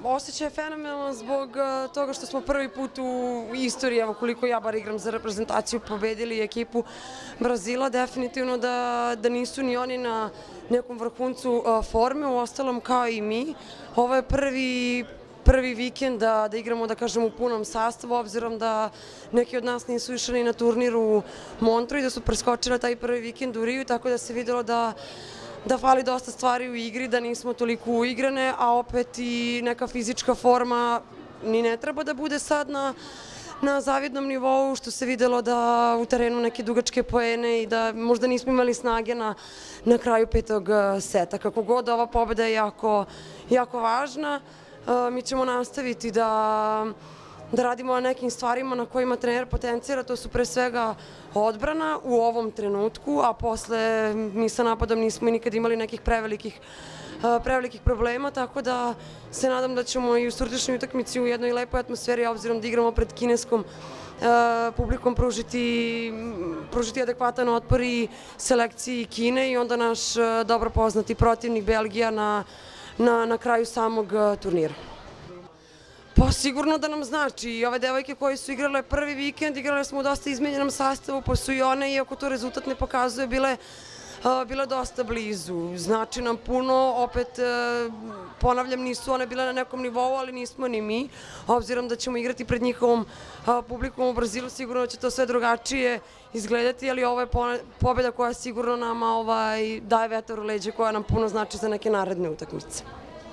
Osjećaj je fenomenalan zbog toga što smo prvi put u istoriji, evo koliko ja bar igram za reprezentaciju, pobedili ekipu Brazila. Definitivno da nisu ni oni na nekom vrhuncu forme, uostalom kao i mi. Ovo je prvi vikend da igramo, da kažem, u punom sastavu, obzirom da neki od nas nisu išli ni na turnir u Montru i da su preskočili taj prvi vikend u Riju, tako da se videlo da fali dosta stvari u igri, da nismo toliko uigrane, a opet i neka fizička forma ni ne treba da bude sad na zavidnom nivou, što se videlo da u terenu neke dugačke poene i da možda nismo imali snage na kraju petog seta. Kako god, ova pobeda je jako važna. Mi ćemo nastaviti da radimo na nekim stvarima na kojima trener potencira, to su pre svega odbrana u ovom trenutku, a posle mi sa napadom nismo nikad imali nekih prevelikih problema, tako da se nadam da ćemo i u sutrašnjoj utakmici u jednoj lepoj atmosferi, obzirom da igramo pred kineskom publikom, pružiti adekvatan otpor i selekciji Kine i onda naš dobro poznati protivnik Belgija na kraju samog turnira. Pa sigurno da nam znači. I ove devojke koje su igrale prvi vikend, igrale smo u dosta izmenjenom sastavu, pa su i one, iako to rezultat ne pokazuje, bile dosta blizu. Znači nam puno, opet ponavljam, nisu one bile na nekom nivou, ali nismo ni mi. Obzirom da ćemo igrati pred njihovom publikom u Brazilu, sigurno će to sve drugačije izgledati, ali ovo je pobeda koja sigurno nama daje vetar u leđe, koja nam puno znači za neke naredne utakmice.